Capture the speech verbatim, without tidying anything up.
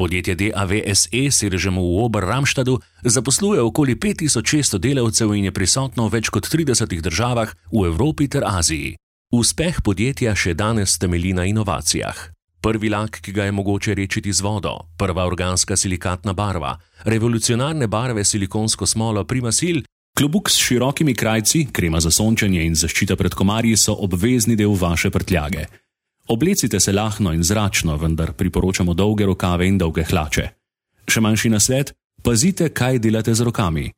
Podjetje D A V S E s sedežem v Ober-Ramstadu zaposluje okoli pet tisoč šeststo delavcev in je prisotno v več kot tridesetih državah v Evropi ter Aziji. Uspeh podjetja še danes temelji na inovacijah. Prvi lak, ki ga je mogoče redčiti z vodo, prva organska silikatna barva, revolucionarne barve silikonsko smolo Primasil, klobuk s širokimi krajci, krema za sončenje in zaščita pred komarji so obvezni del vaše prtljage. Oblecite se lahno in zračno, vendar priporočamo dolge rokave in dolge hlače. Še manjši nasvet, pazite, kaj delate z rokami.